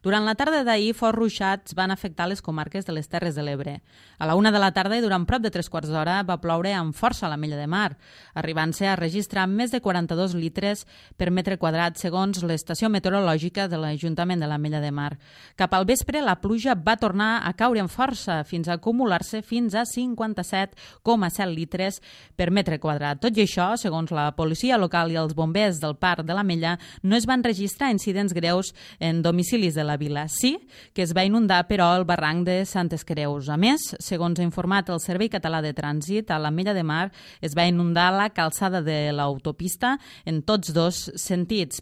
Durant la tarda d'ahir, forts ruixats van afectar les comarques de les Terres de l'Ebre. A la 1 de la tarda i durant prop de 3/4 d'hora va ploure amb força a l'Ametlla de Mar, arribant-se a registrar més de 42 litres per metre quadrat, segons l'estació meteorològica de l'Ajuntament de l'Ametlla de Mar. Cap al vespre, la pluja va tornar a caure amb força, fins a acumular-se fins a 57,7 litres per metre quadrat. Tot i això, segons la policia local i els bombers del Parc de l'Ametlla, no es van registrar incidents greus en domicilis de la vila. Sí que es va inundar, però, el barranc de Santes Creus. A més, segons ha informat el Servei Català de Trànsit, a l'Ametlla de Mar es va inundar la calçada de l'autopista en tots dos sentits.